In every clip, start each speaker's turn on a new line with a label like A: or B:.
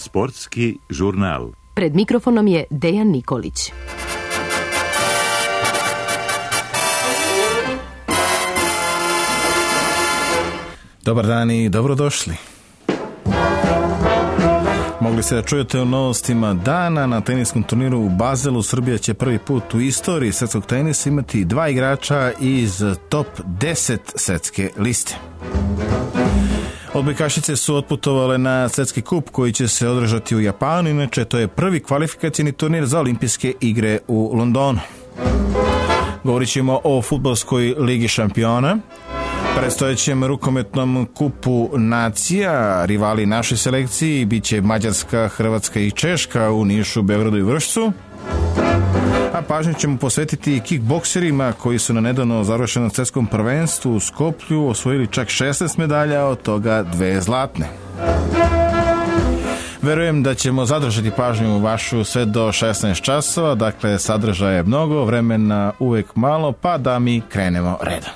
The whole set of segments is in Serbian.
A: Sportski žurnal.
B: Pred mikrofonom je Dejan Nikolić.
C: Dobar dan i dobrodošli. Mogli ste da čujete o novostima dana. Na teniskom turniru u Bazelu Srbija će prvi put u istoriji svetskog tenisa imati 2 igrača iz top 10 svetske liste. Odbojkašice su otputovale na svetski kup koji će se održati u Japanu, inače to je prvi kvalifikacijni turnir za olimpijske igre u Londonu. Govorit ćemo o fudbalskoj ligi šampiona, predstojećem rukometnom kupu nacija. Rivali našoj selekciji biće Mađarska, Hrvatska i Češka u Nišu, Beogradu i Vršcu. A pažnju ćemo posvetiti kickbokserima koji su na nedavno završenom svetskom prvenstvu u Skoplju osvojili čak 16 medalja, od toga 2 zlatne. Verujem da ćemo zadržati pažnju vašu sve do 16 časova, dakle sadržaja je mnogo, vremena uvek malo, pa da mi krenemo redom.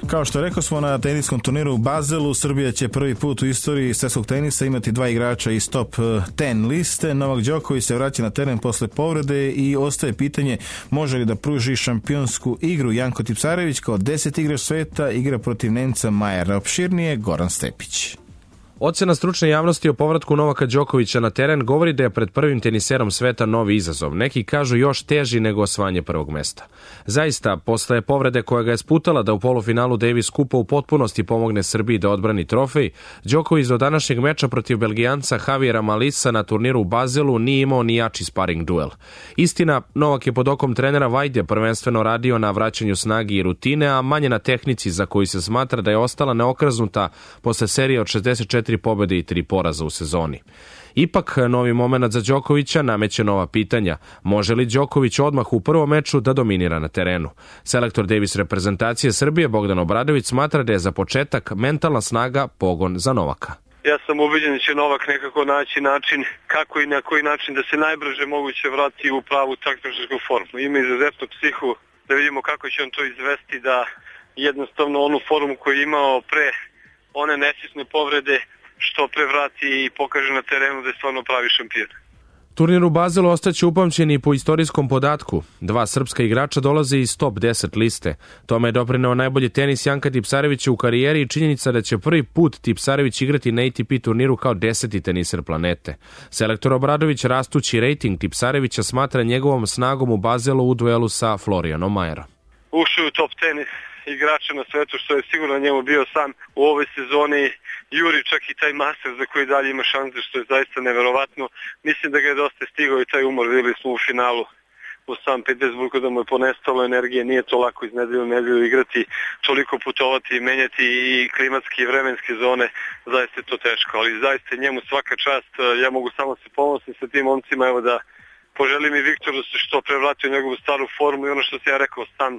C: Kao što rekao smo, na teniskom turniru u Bazelu Srbija će prvi put u istoriji svjetskog tenisa imati 2 igrača iz top 10 liste. Novak Đoković se vraća na teren posle povrede i ostaje pitanje može li da pruži šampionsku igru. Janko Tipsarević kao 10 igrač sveta igra protiv Nemca Majera. Opširnije Goran Stepić.
D: Ocena stručne javnosti o povratku Novaka Đokovića na teren govori da je pred prvim teniserom sveta novi izazov. Neki kažu još teži nego osvajanje prvog mesta. Zaista, posle povrede koja ga je sputala da u polufinalu Davis Kupa u potpunosti pomogne Srbiji da odbrani trofej, Đoković do današnjeg meča protiv Belgijanca Javiera Malisa na turniru u Bazelu nije imao ni jači sparing duel. Istina, Novak je pod okom trenera Vajde prvenstveno radio na vraćanju snagi i rutine, a manje na tehnici za koju se smatra da je ostala neokrznuta posle serije od 64 pobjede i 3 poraza u sezoni. Ipak, novi moment za Đokovića nameće nova pitanja. Može li Đoković odmah u prvom meču da dominira na terenu? Selektor Davis reprezentacije Srbije Bogdan Obradović smatra da je za početak mentalna snaga pogon za Novaka.
E: Ja sam ubeđen da će Novak nekako naći način kako i na koji način da se najbrže moguće vrati u pravu takmičarsku formu. Ima izuzetnu psihu, da vidimo kako će on to izvesti, da jednostavno onu formu koju je imao pre one nesvjesne povrede što prevrati i pokaže na terenu da je stvarno pravi šampion.
D: Turnir u Bazelu ostaće upamćen i po istorijskom podatku. 2 srpska igrača dolaze iz top 10 liste. Tome je doprineo najbolji tenis Janka Tipsarevića u karijeri i činjenica da će prvi put Tipsarević igrati na ATP turniru kao 10. teniser planete. Selektor Obradović rastući rejting Tipsarevića smatra njegovom snagom u Bazelu u duelu sa Florianom Majerom.
E: Ušao u top 10 igrača na svetu, što je sigurno njemu bio san u ovoj sezoni. Juri čak i taj master za koji dalje ima šanse, što je zaista neverovatno. Mislim da ga je dosta stigao i taj umor. Vidjeli smo u finalu u San Petersburgu da mu je ponestalo energije. Nije to lako iz nedelju u nedelju igrati, toliko putovati i menjati i klimatske i vremenske zone. Zaista je to teško, ali zaista njemu svaka čast. Ja mogu samo se ponositi sa tim momcima, evo da poželim i Viktoru da se što prevratio u njegovu staru formu i ono što sam ja rekao, stan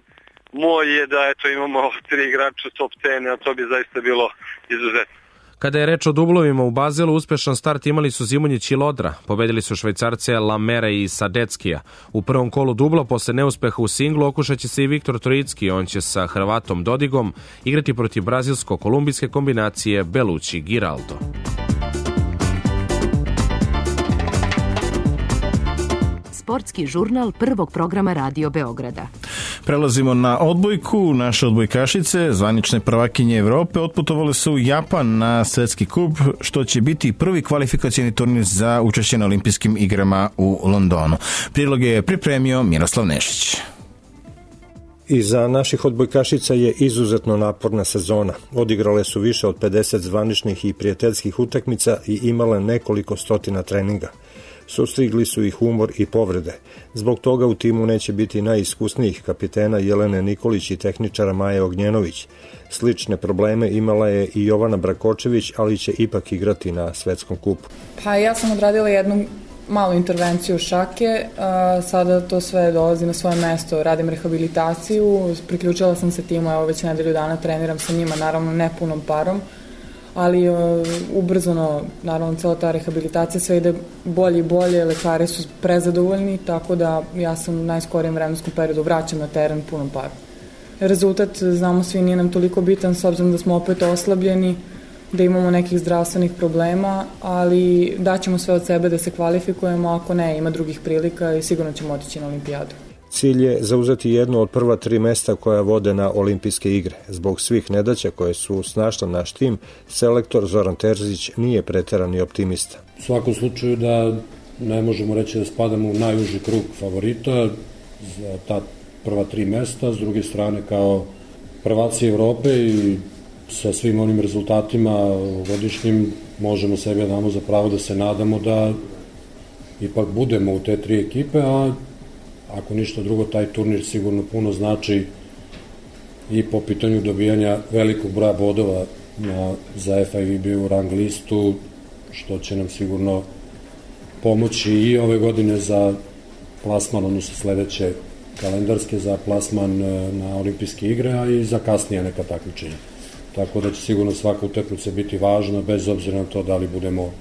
E: moj je da eto imamo 3 igrača top 10, a to bi zaista bilo izuzetno.
D: Kada je reč o dublovima u Bazelu, uspešan start imali su Zimonjić i Lodra. Pobedili su Švajcarce Lamera i Sadeckija. U prvom kolu dubla, posle neuspeha u singlu, okušaće se i Viktor Trojicki. On će sa Hrvatom Dodigom igrati protiv brazilsko-kolumbijske kombinacije Belucci-Giraldo.
B: Sportski žurnal prvog programa Radio Beograda.
C: Prelazimo na odbojku. Naše odbojkašice, zvanične prvakinje Evrope, otputovale su u Japan na svetski kup, što će biti prvi kvalifikacijni turnir za učešće na olimpijskim igrama u Londonu. Prilog je pripremio Miroslav Nešić.
F: Iza naših odbojkašica je izuzetno naporna sezona. Odigrale su više od 50 zvaničnih i prijateljskih utakmica i imale nekoliko stotina treninga. Sustigli su ih umor i povrede. Zbog toga u timu neće biti najiskusnijih kapitena Jelene Nikolić i tehničara Maje Ognjenović. Slične probleme imala je i Jovana Brakočević, ali će ipak igrati na svetskom kupu.
G: Pa ja sam odradila jednu malu intervenciju šake, sada to sve dolazi na svoje mesto, radim rehabilitaciju, priključila sam se timu, evo već nedelju dana treniram sa njima, naravno ne punom parom, ali ubrzano, naravno cela ta rehabilitacija sve ide bolje i bolje, lekari su prezadovoljni, tako da ja sam u najskorijem vremenskom periodu vraćam na teren punom parom. Rezultat, znamo svi, nije nam toliko bitan s obzirom da smo opet oslabljeni, da imamo nekih zdravstvenih problema, ali daćemo sve od sebe da se kvalifikujemo, ako ne, ima drugih prilika i sigurno ćemo otići na olimpijadu.
F: Cilj je zauzeti jedno od prva 3 mesta koja vode na olimpijske igre. Zbog svih nedaća koje su snašle naš tim, selektor Zoran Terzić nije preterani optimista.
H: U svakom slučaju da ne možemo reći da spadamo u najuži krug favorita za ta prva 3 mesta, s druge strane kao prvaci Evrope i sa svim onim rezultatima godišnjim možemo sebe damo za pravo da se nadamo da ipak budemo u te 3 ekipe, a ako ništa drugo, taj turnir sigurno puno znači i po pitanju dobijanja velikog broja bodova za FIVB u rang listu, što će nam sigurno pomoći i ove godine za plasman, odnosno sledeće kalendarske, za plasman na olimpijske igre, a i za kasnije neka takmičenja. Tako da će sigurno svaka utakmica biti važna, bez obzira na to da li budemo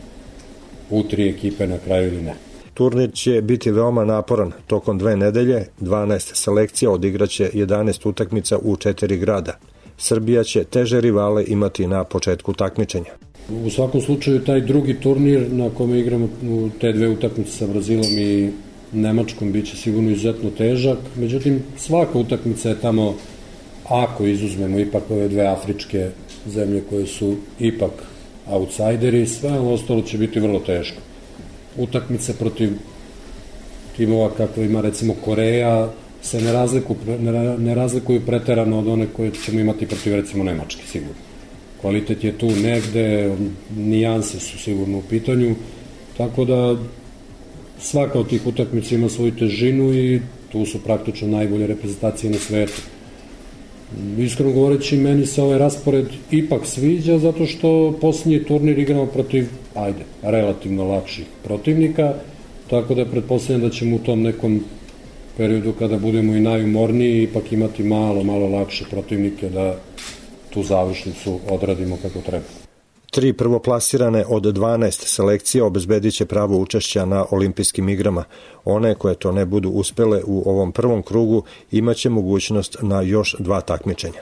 H: u 3 ekipe na kraju ili ne.
F: Turnir će biti veoma naporan. Tokom 2 nedelje, 12 selekcija odigraće 11 utakmica u 4 grada. Srbija će teže rivale imati na početku takmičenja.
H: U svakom slučaju, taj drugi turnir na kome igramo te 2 utakmice sa Brazilom i Nemačkom biće sigurno izuzetno težak. Međutim, svaka utakmica je tamo, ako izuzmemo ipak ove 2 afričke zemlje koje su ipak outsideri, sve ostalo će biti vrlo teško. Utakmice protiv timova kako ima recimo Koreja se ne razlikuju preterano od one koje ćemo imati protiv recimo Nemačke, sigurno. Kvalitet je tu negde, nijanse su sigurno u pitanju, tako da svaka od tih utakmica ima svoju težinu i tu su praktično najbolje reprezentacije na svetu. Iskreno govoreći, meni se ovaj raspored ipak sviđa zato što posljednji turnir igramo protiv, relativno lakših protivnika, tako da pretpostavljam da ćemo u tom nekom periodu kada budemo i najumorniji ipak imati malo lakše protivnike da tu završnicu odradimo kako treba.
F: 3 prvoplasirane od 12 selekcija obezbedit će pravo učešća na olimpijskim igrama. One koje to ne budu uspele u ovom prvom krugu imaće mogućnost na još 2 takmičenja.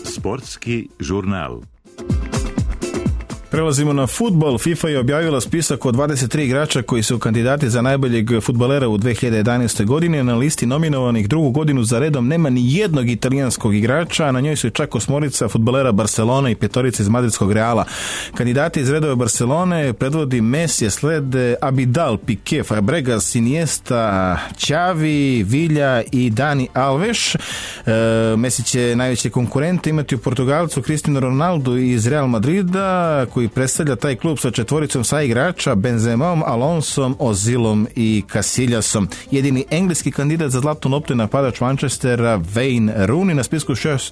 A: Sportski žurnal.
C: Prelazimo na fudbal. FIFA je objavila spisak od 23 igrača koji su kandidati za najboljeg fudbalera u 2011. godini. Na listi nominovanih drugu godinu za redom nema ni jednog italijanskog igrača, a na njoj su čak 8 fudbalera Barcelone i 5 iz madridskog Reala. Kandidati iz redove Barcelone predvodi Messi, slede Abidal, Piqué, Fabregas, Iniesta, Xavi, Villa i Dani Alves. Messi će najveće konkurente imati u Portugalcu Cristiano Ronaldo iz Real Madrida, koji predstavlja taj klub sa 4 saigrača, Benzemom, Alonsom, Ozilom i Casillasom. Jedini engleski kandidat za zlatnu loptu je napadač Manchestera Wayne Rooney.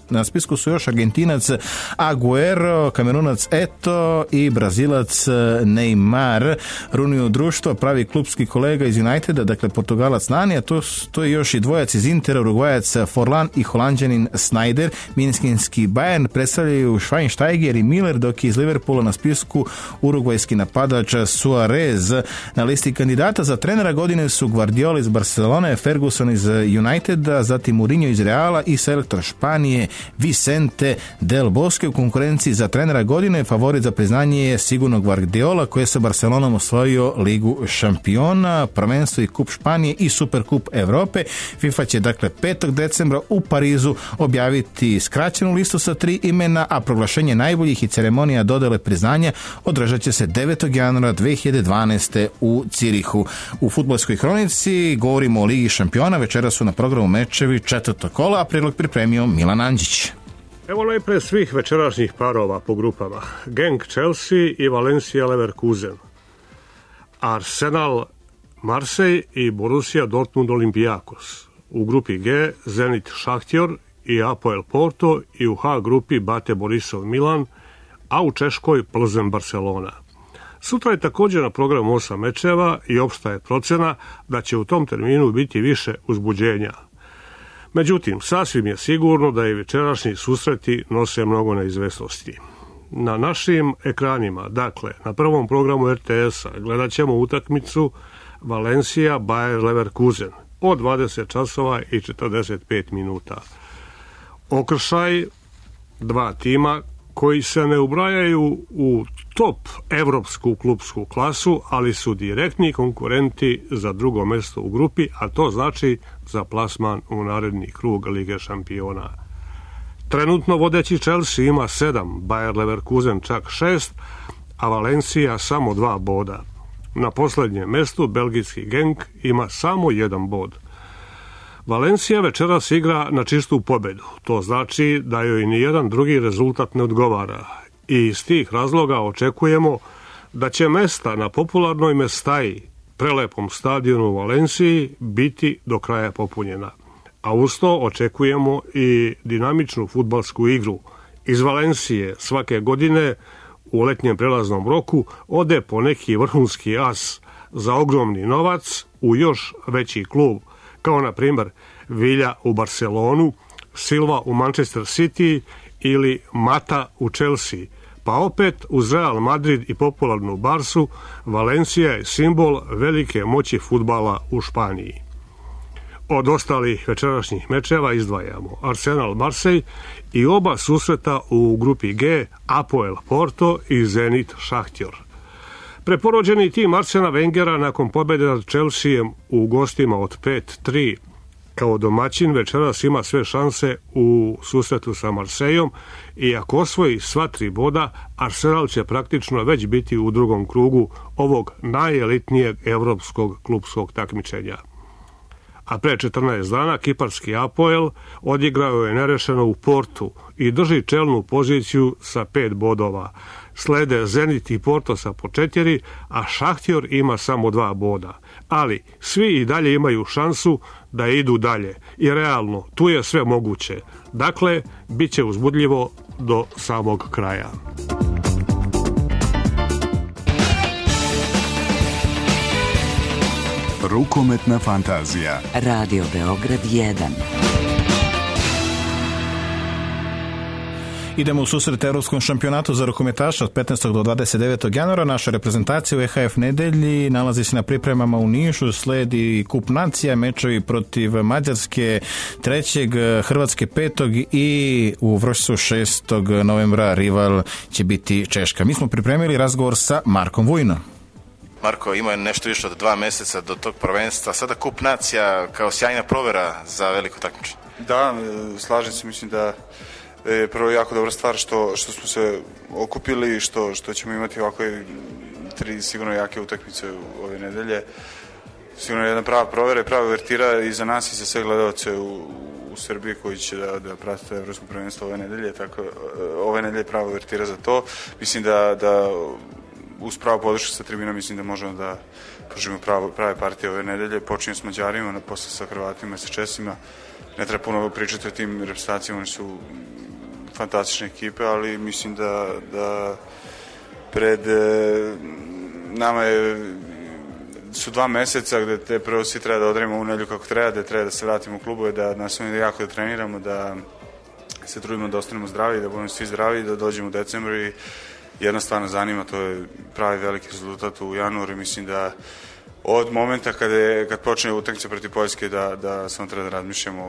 C: Na spisku su još Argentinac Agüero, Kamerunac Eto i Brazilac Neymar. Rooney društvo pravi klubski kolega iz Uniteda, dakle Portugalac Nani, a to je još i dvojac iz Intera, Urugvajac Forlan i Holanđanin Sneijder. Minskinski Bayern predstavljaju Schweinsteiger i Miller, dok je iz Liverpoola na spisku urugvajski napadač Suarez. Na listi kandidata za trenera godine su Guardiola iz Barcelone, Ferguson iz Uniteda, zatim Mourinho iz Reala i selektor Španije Vicente Del Bosque. U konkurenciji za trenera godine favorit za priznanje je sigurno Guardiola, koji je sa Barcelonom osvojio Ligu šampiona, prvenstvo i Kup Španije i Superkup Evrope. FIFA će dakle 5. decembra u Parizu objaviti skraćenu listu sa 3 imena, a proglašenje najboljih i ceremonija dodele priznanja održat će se 9. januara 2012. u Cirihu. U fudbalskoj hronici govorimo o Ligi šampiona. Večera su na programu mečevi 4. kola, a prilog pripremio Milan Andžić.
I: Evo najpre svih večerašnjih parova po grupama. Genk Chelsea i Valencia Leverkusen. Arsenal Marseille i Borussia Dortmund Olympiakos. U grupi G Zenit Šahtjor i Apoel Porto i u H grupi Bate Borisov Milan, a u Češkoj Plzen Barcelona. Sutra je također na programu 8 mečeva i opšta je procena da će u tom terminu biti više uzbuđenja. Međutim, sasvim je sigurno da i večerašnji susreti nose mnogo neizvesnosti. Na našim ekranima, dakle, na prvom programu RTS-a gledat ćemo utakmicu Valencia Bayer Leverkusen. od 20 časova i 45 minuta. Okršaj, 2 tima koji se ne ubrajaju u top evropsku klupsku klasu, ali su direktni konkurenti za drugo mesto u grupi, a to znači za plasman u naredni krug Lige šampiona. Trenutno vodeći Chelsea ima 7, Bayer Leverkusen čak 6, a Valencija samo 2 boda. Na poslednjem mestu belgijski Genk ima samo 1 bod. Valencija večeras igra na čistu pobedu. To znači da joj ni jedan drugi rezultat ne odgovara. I iz tih razloga očekujemo da će mesta na popularnoj Mestaji, prelepom stadionu u Valenciji, biti do kraja popunjena. A uz to očekujemo i dinamičnu fudbalsku igru. Iz Valencije svake godine u letnjem prelaznom roku ode po neki vrhunski as za ogromni novac u još veći klub, kao na primjer Villa u Barcelonu, Silva u Manchester City ili Mata u Chelsea. Pa opet uz Real Madrid i popularnu Barsu, Valencija je simbol velike moći fudbala u Španiji. Od ostalih večerašnjih mečeva izdvajamo Arsenal Marseille i oba susreta u grupi G, Apoel Porto i Zenit Šahtjor. Preporođeni tim Arsena Wengera nakon pobjede nad Chelseaem u gostima od 5-3 kao domaćin večeras ima sve šanse u susretu sa Marseillom i ako osvoji sva 3 boda, Arsenal će praktično već biti u drugom krugu ovog najelitnijeg evropskog klupskog takmičenja. A pre 14 dana kiparski Apoel odigrao je nerešeno u Portu i drži čelnu poziciju sa 5 bodova. Slede Zenit i Porto sa po 4, a Šahtjor ima samo 2 boda. Ali svi i dalje imaju šansu da idu dalje i realno tu je sve moguće. Dakle, bit će uzbudljivo do samog kraja.
A: Rukometna fantazija.
J: Radio Beograd 1.
C: Idemo u susret Evropskom šampionatu za rukometaša od 15. do 29. januara. Naša reprezentacija u EHF nedelji nalazi se na pripremama u Nišu, sledi Kup nacija, mečevi protiv Mađarske 3. Hrvatske 5. i u Vršcu 6. novembra rival će biti Češka. Mi smo pripremili razgovor sa Markom Vujnom.
K: Marko, ima je nešto više od 2 meseca do tog prvenstva. Sada Kup nacija kao sjajna provera za veliko takmičenje.
L: Da, slažem se, mislim da je prvo jako dobra stvar što smo se okupili i što ćemo imati ovakve 3 sigurno jake utakmice ove nedelje. Sigurno je jedna prava provera i prava uvertira i za nas i za sve gledalce u Srbiji koji će da prate evropsko prvenstvo ove nedelje. Tako, ove nedelje je prava uvertira za to. Mislim da uz pravu podršku sa tribina mislim da možemo da pružimo prave partije ove nedelje. Počinjemo s Mađarima, posle sa Hrvatima i sa Česima. Ne treba puno pričati o tim reprezentacijama, oni su fantastične ekipe, ali mislim da pred nama su 2 meseca gde te prvo svi treba da odradimo ovu nedelju kako treba, da treba da se vratimo u klubove, da nastavimo jako da treniramo, da se trudimo da ostanemo zdravi, da budemo svi zdravi, da dođemo u decembru i jednostavno zanima, to je pravi veliki rezultat u januaru i mislim da od momenta kad počne utakmica protiv Poljske da samo treba da razmišljamo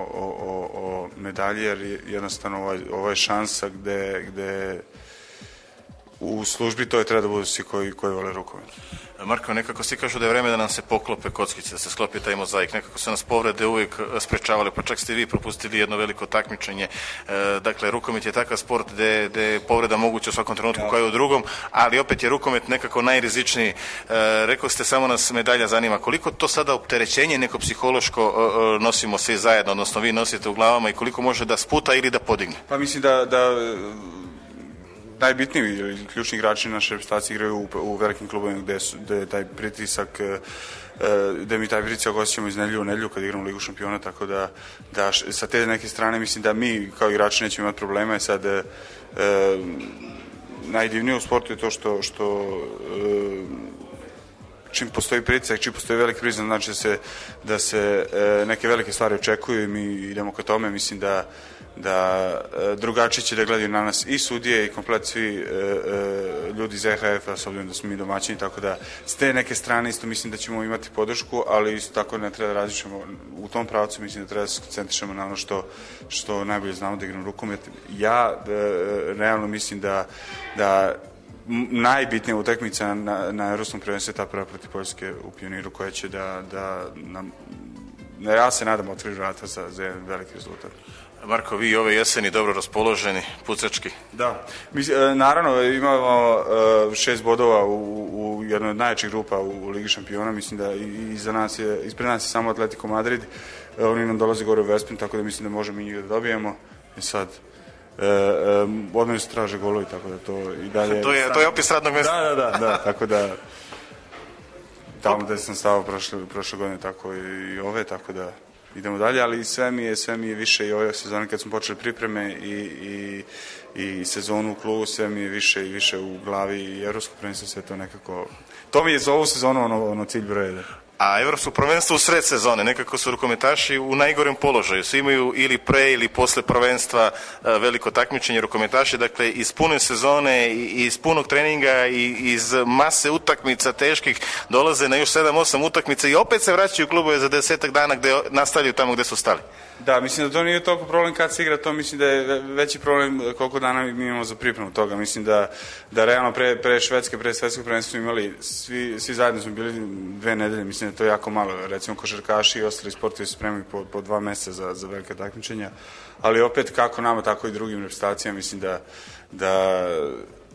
L: o medalji, jer jednostavno ovo je šansa gde u službi to je treba da budu svi koji vole rukomet.
K: Marko, nekako svi kažu da je vreme da nam se poklope kockice, da se sklopi taj mozaik. Nekako su nas povrede uvijek sprečavali, pa čak ste vi propustili jedno veliko takmičenje. Dakle, rukomet je takav sport gde je povreda moguća u svakom trenutku kao i u drugom, ali opet je rukomet nekako najrizičniji. Rekao ste, samo nas medalja zanima. Koliko to sada opterećenje neko psihološko nosimo svi zajedno, odnosno vi nosite u glavama i koliko može da sputa ili da podigne?
L: Pa mislim da najbitniji ili ključni igrači naše reprezentacije igraju u velikim klubovima gde je taj pritisak, gde mi taj pritisak osjećamo iz nedelju u nedelju kad igramo Ligu šampiona, tako da sa te neke strane mislim da mi kao igrači nećemo imati problema i sad najdivnije u sportu je to što čim postoji pritisak, čim postoji veliki pritisak, znači da se neke velike stvari očekuju i mi idemo ka tome. Mislim da drugačije će da gledaju na nas i sudije i komplet svi ljudi iz EHF-a, s obzirom da smo mi domaćini, tako da s te neke strane isto mislim da ćemo imati podršku, ali isto tako ne treba da različimo u tom pravcu, mislim da treba da se koncentrišemo na ono što najbolje znamo, da igram rukomet. Ja realno mislim da najbitnija utakmica na Evropskom prvenstvu je ta prva protiv Poljske u Pioniru, koja će da nam, ja se nadam, otvori vrata za jedan veliki rezultat.
K: Marko, vi ove jeseni dobro raspoloženi, pucački.
L: Da, naravno imamo 6 bodova u jednoj od najjačih grupa u Ligi šampiona, mislim da ispred nas je samo Atletico Madrid, oni nam dolaze gore u Vespin, tako da mislim da možemo i njih da dobijemo. I sad odmah se traže golovi, tako da to i dalje...
K: To je opis radnog mjesta.
L: Da, tako da tamo gde sam stavao prošle godine, tako i ove, tako da idemo dalje, ali sve mi je više i ove sezone kad smo počeli pripreme i sezonu u klubu, sve mi je više i više u glavi i evropsko prvenstvo, sve to nekako... To mi je za ovu sezonu ono cilj broj 1.
K: A evropsko prvenstvo u sred sezone, nekako su rukometaši u najgorem položaju. Svi imaju ili pre ili posle prvenstva veliko takmičenje rukometaši, dakle iz pune sezone, iz punog treninga i iz mase utakmica teških dolaze na još 7-8 utakmica i opet se vraćaju u klubove za 10 dana gde nastavljaju tamo gde su stali.
L: Da, mislim da to nije toliko problem kad se igra, to mislim da je veći problem koliko dana mi imamo za pripremu toga. Mislim da realno pre Švedske, pre svetskog prvenstva smo imali, svi zajedno smo bili 2 nedelje, mislim da je to jako malo. Recimo košarkaši i ostali sportovi se spremaju po 2 meseca za velike takmičenja, ali opet kako nama, tako i drugim reprezentacijama, mislim da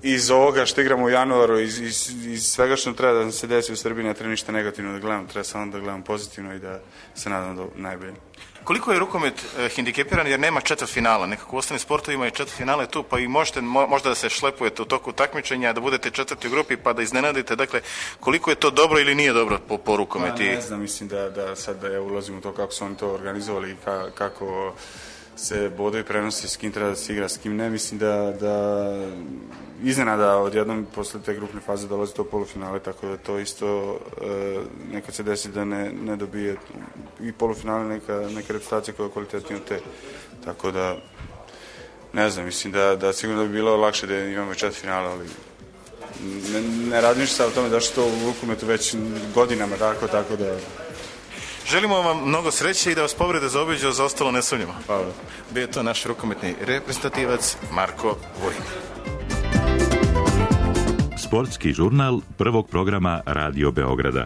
L: iz ovoga što igramo u januaru, iz svega što treba da se desi u Srbiji, ne treba ništa negativno da gledamo, treba samo da gledamo pozitivno i da se nadamo do najbolje.
K: Koliko je rukomet hendikepiran jer nema četvrtfinala? Nekako u ostalim sportovima je četvrtfinale tu, pa i možete možda da se šlepujete u toku takmičenja, da budete četvrti u grupi pa da iznenadite. Dakle, koliko je to dobro ili nije dobro po rukometi?
L: Ne znam, mislim da sad da ja ulazim u to kako su oni to organizovali i kako se bodovi prenosi, s kim treba da se igra, s kim ne. Mislim da iznenada odjednom posle te grupne faze dolazi to polufinale, tako da to isto nekad se desi da ne dobije i polufinale neka reprezentacija koja je kvalitetnija od te. Tako da, ne znam, mislim da sigurno da bi bilo lakše da imamo četvrtfinale, ali ne radim ništa o tome da što u rukometu već godinama, tako da...
K: Želimo vam mnogo sreće i da vas povrede zaobiđu, za ostalo ne sumnjamo.
L: Hvala.
K: Bio je to naš rukometni reprezentativac Marko Vojin.
M: Sportski žurnal prvog programa Radio Beograda.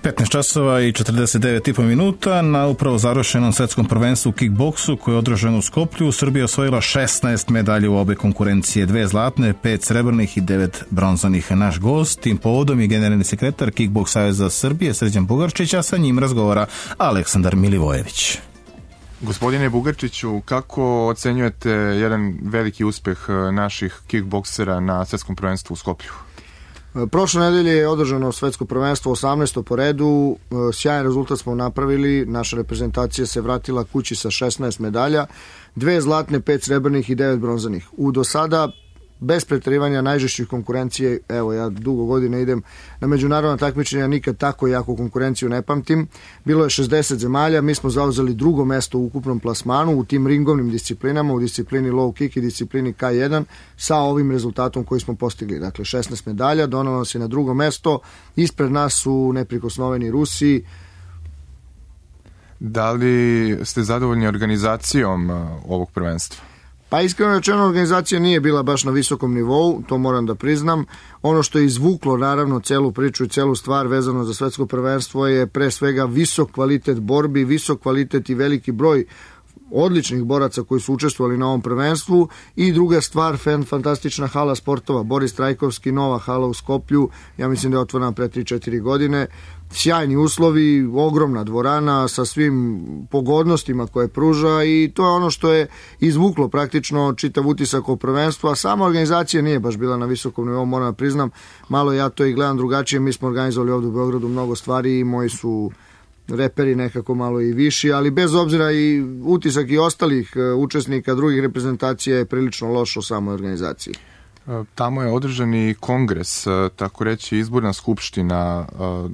C: 15 časova i 49,5 minuta na upravo završenom svetskom prvenstvu u kickboksu koje je održano u Skoplju. Srbija osvojila 16 medalja u obe konkurencije, 2 zlatne, 5 srebrnih i 9 bronzanih. Naš gost tim povodom je generalni sekretar Kickboks saveza Srbije Srđan Bugarčić, a sa njim razgovara Aleksandar Milivojević.
N: Gospodine Bugarčiću, kako ocenjujete jedan veliki uspeh naših kickboksera na svetskom prvenstvu u Skoplju?
O: Prošle nedelje je održano svetsko prvenstvo 18. po redu, sjajan rezultat smo napravili, naša reprezentacija se vratila kući sa 16 medalja, 2 zlatne, 5 srebrnih i 9 bronzanih. U do sada, bez preterivanja najžešćih konkurencije, evo ja dugo godina idem na međunarodna takmičenja, nikad tako jaku konkurenciju ne pamtim. Bilo je 60 zemalja, mi smo zauzeli drugo mesto u ukupnom plasmanu u tim ringovnim disciplinama, u disciplini low kick i disciplini K1 sa ovim rezultatom koji smo postigli. Dakle, 16 medalja, donalo se na drugo mesto, ispred nas su neprikosnoveni Rusi.
N: Da li ste zadovoljni organizacijom ovog prvenstva?
O: Pa iskreno rečeno, organizacija nije bila baš na visokom nivou, to moram da priznam. Ono što je izvuklo naravno celu priču i celu stvar vezano za svetsko prvenstvo je pre svega visok kvalitet borbi, visok kvalitet i veliki broj odličnih boraca koji su učestvovali na ovom prvenstvu i druga stvar, fantastična hala sportova, Boris Trajkovski, nova hala u Skoplju, ja mislim da je otvorena pre 3-4 godine, sjajni uslovi, ogromna dvorana sa svim pogodnostima koje pruža i to je ono što je izvuklo praktično čitav utisak o prvenstvu, a sama organizacija nije baš bila na visokom nivou, moram da priznam, malo ja to i gledam drugačije, mi smo organizovali ovdje u Beogradu mnogo stvari i moji su reperi nekako malo i viši, ali bez obzira i utisak i ostalih učesnika drugih reprezentacija je prilično loš o samoj organizaciji.
N: Tamo je održan i kongres, tako reći izborna skupština,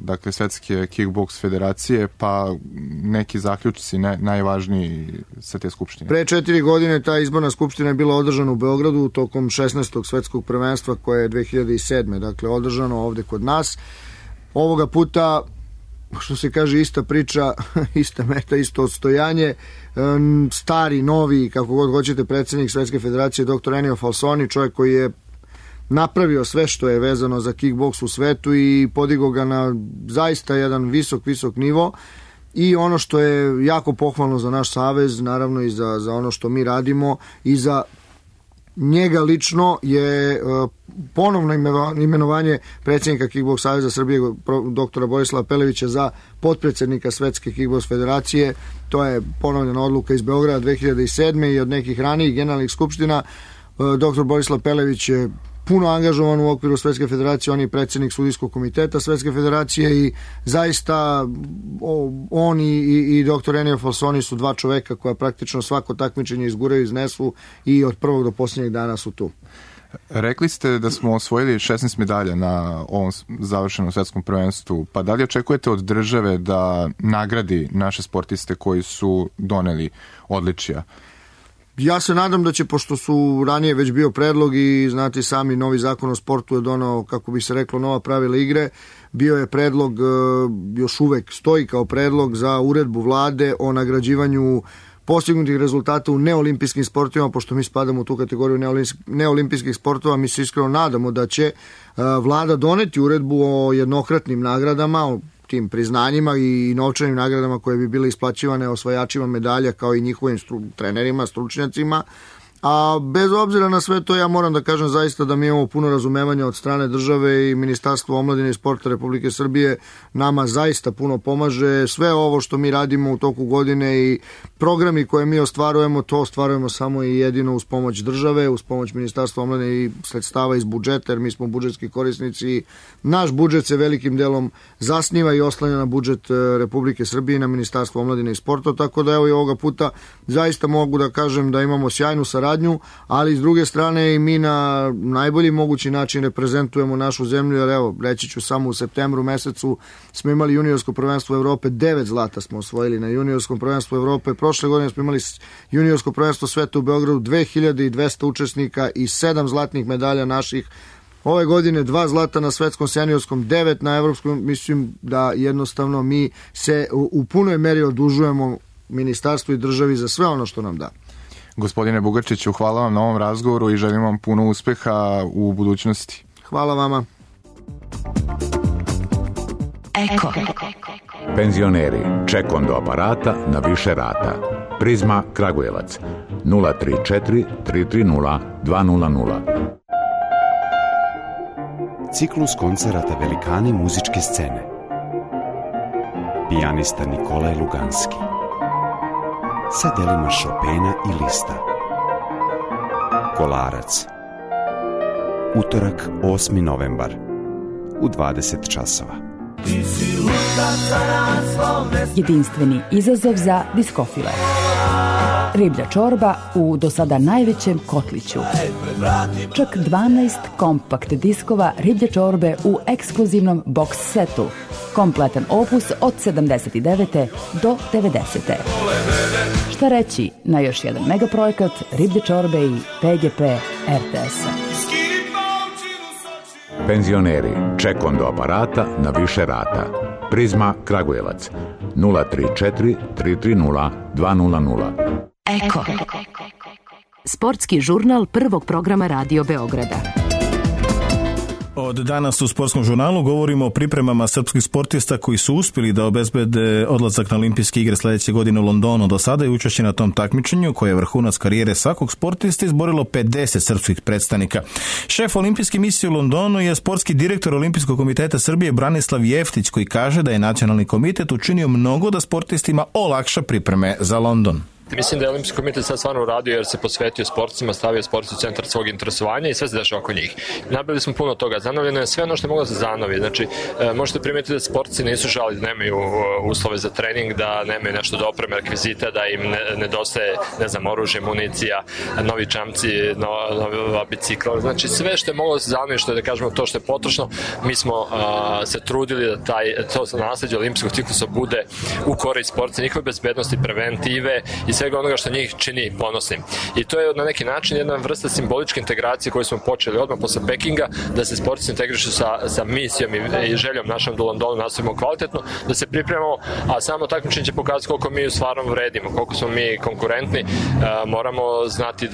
N: dakle Svetske Kickboks federacije, pa neki zaključci najvažniji sa te skupštine.
O: Pre 4 godine ta izborna skupština je bila održana u Beogradu tokom 16. svetskog prvenstva koje je 2007. Dakle, održano ovde kod nas. Ovoga puta, što se kaže, ista priča, ista meta, isto odstojanje, stari, novi, kako god hoćete, predsjednik Svetske federacije dr. Ennio Falsoni, čovjek koji je napravio sve što je vezano za kickboks u svetu i podigao ga na zaista jedan visok nivo. I ono što je jako pohvalno za naš savez, naravno i za ono što mi radimo i za njega lično, je ponovno imenovanje predsjednika Kickboks saveza Srbije doktora Borislava Pelevića za potpredsjednika Svetske Kickboks federacije. To je ponovljena odluka iz Beograda 2007. i od nekih ranijih generalnih skupština. Doktor Borislav Pelević je puno angažovan u okviru Svetske federacije, on je predsjednik sudijskog komiteta Svetske federacije i zaista on i dr. Ennio Falsoni su dva čoveka koja praktično svako takmičenje izguraju, iznesu i od prvog do posljednjeg dana su tu.
N: Rekli ste da smo osvojili 16 medalja na ovom završenom svetskom prvenstvu, pa da li očekujete od države da nagradi naše sportiste koji su doneli odličija?
O: Ja se nadam da će, pošto su ranije već bio predlog i znate sami, novi zakon o sportu je donao, kako bi se reklo, nova pravila igre, bio je predlog, još uvek stoji kao predlog za uredbu vlade o nagrađivanju postignutih rezultata u neolimpijskim sportovima, pošto mi spadamo u tu kategoriju neolimpijskih sportova. Mi se iskreno nadamo da će vlada doneti uredbu o jednokratnim nagradama, o tim priznanjima i novčanim nagradama koje bi bile isplaćivane osvajačima medalja kao i njihovim trenerima, stručnjacima. A bez obzira na sve to, ja moram da kažem zaista da mi imamo puno razumevanja od strane države i Ministarstvo omladine i sporta Republike Srbije nama zaista puno pomaže. Sve ovo što mi radimo u toku godine i programi koje mi ostvarujemo, to ostvarujemo samo i jedino uz pomoć države, uz pomoć Ministarstva omladine i sredstava iz budžeta, jer mi smo budžetski korisnici. Naš budžet se velikim delom zasniva i oslanja na budžet Republike Srbije i na Ministarstvo omladine i sporta, tako da evo i ovoga puta zaista mogu da kažem da imamo sjajnu saradnju, ali s druge strane i mi na najbolji mogući način reprezentujemo našu zemlju, jer evo, reći ću samo u septembru mesecu smo imali juniorsko prvenstvo Evrope, 9 zlata smo osvojili na juniorskom prvenstvu Evrope, prošle godine smo imali juniorsko prvenstvo sveta u Beogradu, 2200 učesnika i 7 zlatnih medalja naših. Ove godine 2 zlata na svetskom seniorskom, 9 na evropskom. Mislim da jednostavno mi se u punoj meri odužujemo ministarstvu i državi za sve ono što nam da.
N: Gospodine Bugarčiću, hvala vam na ovom razgovoru i želim vam puno uspeha u budućnosti.
O: Hvala vama.
J: Eko.
P: Penzioneri, ček do aparata na više rata. Prizma Kragujevac 034 330 200.
Q: Ciklus koncerata Velikani muzičke scene. Pijanista Nikolaj Luganski sa delima Chopina i Lista. Kolarac. Utorak, 8. novembar u 20 časova.
B: Jedinstveni izazov za diskofile. Riblja čorba u do sada najvećem kotliću. Čak 12 kompakt diskova riblje čorbe u ekskluzivnom box setu. Kompletan opus od 79. do 90. Šta reći na još jedan megaprojekt riblje čorbe i PGP RTS-a.
P: Penzioneri, ček do aparata na više rata. Prizma Kragujevac 034 330 200.
J: Eko.
B: Sportski žurnal prvog programa Radio Beograda.
C: Od danas u sportskom žurnalu govorimo o pripremama srpskih sportista koji su uspjeli da obezbede odlazak na olimpijske igre sljedeće godine u Londonu. Do sada je učešće na tom takmičenju, koje je vrhunac karijere svakog sportista, izborilo 50 srpskih predstavnika. Šef olimpijske misije u Londonu je sportski direktor Olimpijskog komiteta Srbije Branislav Jeftić, koji kaže da je nacionalni komitet učinio mnogo da sportistima olakša pripreme za London.
R: Mislim da je Olimpijski komitet sad stvarno uradio jer se posvetio sportcima, stavio sportci u centar svog interesovanja i sve se dešava oko njih. Nabili smo puno toga, zanovljeno je sve ono što je moglo da se zanovi. Znači, možete primetiti da sportci nisu žali, da nemaju uslove za trening, da nemaju nešto do opreme, rekvizita, da im nedostaje, ne znam, oružje, municija, novi čamci, nova bicikla. Znači, sve što je moglo da se zanovi, što je, da kažemo, to što je potrošno, mi smo se trudili da to nasleđe olimpijskog ciklusa bude u korist sportca, njihove bezbednosti, preventive i svega onoga što njih čini ponosnim. I to je na neki način jedna vrsta simboličke integracije koju smo počeli odmah posle Pekinga, da se sportci integrišu sa misijom i željom našom do Londonu nastavimo kvalitetno, da se pripremamo, a samo takmičenje će pokazati koliko mi stvarno vredimo, koliko smo mi konkurentni. Moramo znati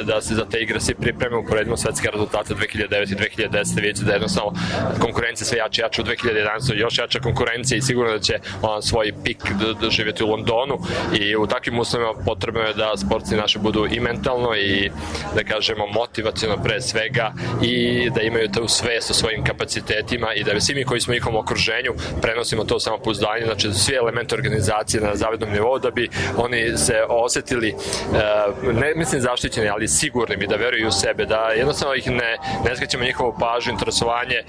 R: da se za te igre svi pripremimo, uporedimo svetske rezultate 2009 i 2010. Vidite da jednostavno konkurencija sve jače u 2011. još jača konkurencija i sigurno da će svoj pik doživjeti u Londonu i u takvim uslovima potrebno je da sportci naši budu i mentalno i, da kažemo, motivaciono pre svega i da imaju tu svest o svojim kapacitetima i da svi mi koji smo u njihovom okruženju prenosimo to samopouzdanje, znači svi elementi organizacije na zavidnom nivou da bi oni se osetili, ne mislim zaštićeni, ali sigurnim i da veruju u sebe, da jednostavno ih ne skrećemo njihovu pažnju, interesovanje,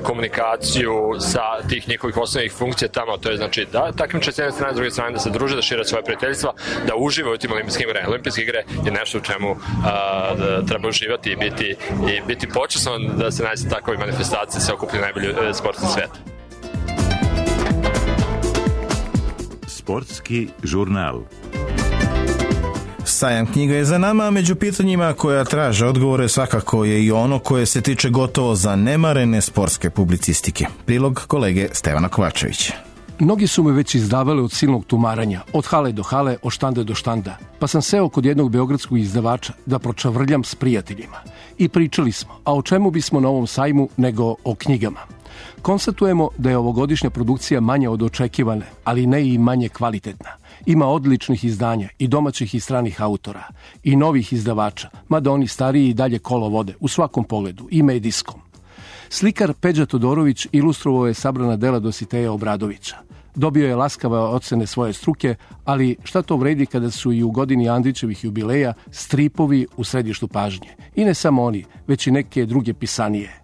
R: komunikaciju sa tih njihovih osnovnih funkcija tamo, to je znači da takmiče s jedne strane, s druge strane da se druže, da šire svoje prijateljstva, da uživaju u tim olimpijskim igrama. Olimpijske igre je nešto u čemu treba uživati i biti počasno da se nađe takove manifestacije, se okuplju najbolji sportski svijet.
M: Sportski žurnal.
C: Sajam knjiga je za nama, među pitanjima koja traže odgovore svakako je i ono koje se tiče gotovo zanemarene sportske publicistike. Prilog kolege Stevana Kovačevića.
S: Mnogi su me već izdavali od silnog tumaranja, od hale do hale, od štanda do štanda, pa sam seo kod jednog beogradskog izdavača da pročavrljam s prijateljima. I pričali smo, a o čemu bismo na ovom sajmu nego o knjigama. Konstatujemo da je ovogodišnja produkcija manja od očekivane, ali ne i manje kvalitetna. Ima odličnih izdanja i domaćih i stranih autora, i novih izdavača, mada oni stariji i dalje kolo vode, u svakom pogledu, i medijskom. Slikar Peđa Todorović ilustrovao je sabrana dela Dositeja Obradovića. Dobio je laskave ocene svoje struke, ali šta to vredi kada su i u godini Andrićevih jubileja stripovi u središtu pažnje. I ne samo oni, već i neke druge pisanije.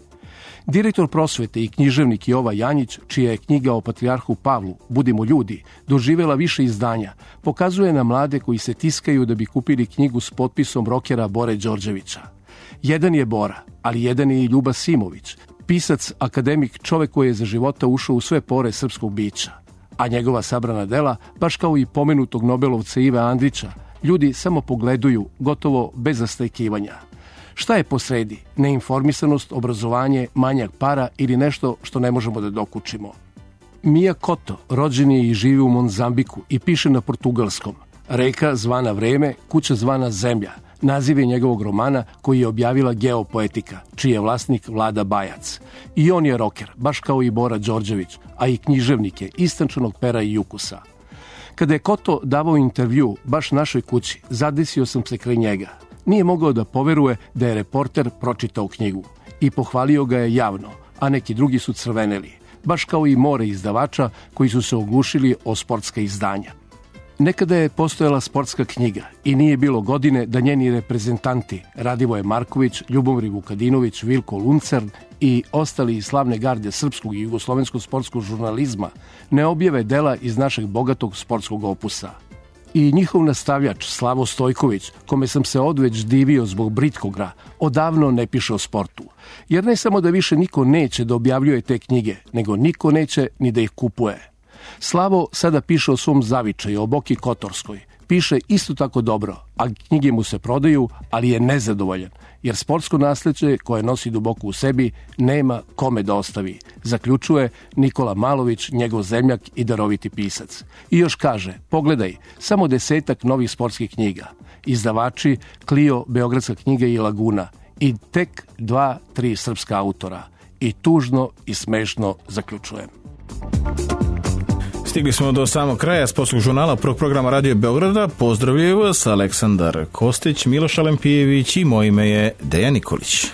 S: Direktor prosvete i književnik Jova Janjić, čija je knjiga o patrijarhu Pavlu, Budimo ljudi, doživela više izdanja, pokazuje na mlade koji se tiskaju da bi kupili knjigu s potpisom rokera Bore Đorđevića. Jedan je Bora, ali jedan je i Ljuba Simović, pisac, akademik, čovek koji je za života ušao u sve pore srpskog bića. A njegova sabrana dela, baš kao i pomenutog Nobelovca Ive Andrića, ljudi samo pogleduju, gotovo bez zastajkivanja. Šta je posredi? Neinformisanost, obrazovanje, manjak para ili nešto što ne možemo da dokučimo? Mija Koto rođen je i živi u Mozambiku i piše na portugalskom. Reka zvana Vreme, kuća zvana Zemlja. Naziv je njegovog romana koji je objavila Geopoetika, čiji je vlasnik Vlada Bajac. I on je roker, baš kao i Bora Đorđević, a i književnik je istančanog pera i ukusa. Kada je Koto davao intervju baš našoj kući, zadesio sam se kraj njega. Nije mogao da poveruje da je reporter pročitao knjigu i pohvalio ga je javno, a neki drugi su crveneli, baš kao i more izdavača koji su se oglušili o sportska izdanja. Nekada je postojala sportska knjiga i nije bilo godine da njeni reprezentanti Radivoje Marković, Ljubomir Vukadinović, Vilko Luncer i ostali iz slavne garde srpskog i jugoslovenskog sportskog žurnalizma ne objave dela iz našeg bogatog sportskog opusa. I njihov nastavljač Slavo Stojković, kome sam se odveć divio zbog britkogra, odavno ne piše o sportu. Jer ne samo da više niko neće da objavljuje te knjige, nego niko neće ni da ih kupuje. Slavo sada piše o svom zavičaju, o Boki Kotorskoj. Piše isto tako dobro, a knjige mu se prodaju, ali je nezadovoljan, jer sportsko nasleđe koje nosi duboko u sebi nema kome da ostavi, zaključuje Nikola Malović, njegov zemljak i daroviti pisac. I još kaže, pogledaj, samo 10 novih sportskih knjiga. Izdavači Clio, Beogradska knjiga i Laguna. I tek 2-3 srpska autora. I tužno i smešno zaključujem.
C: Stigli smo do samog kraja sportskog žurnala prvog programa Radio Beograda. Pozdravljaju vas Aleksandar Kostić, Miloš Alempijević i moje ime je Dejan Nikolić.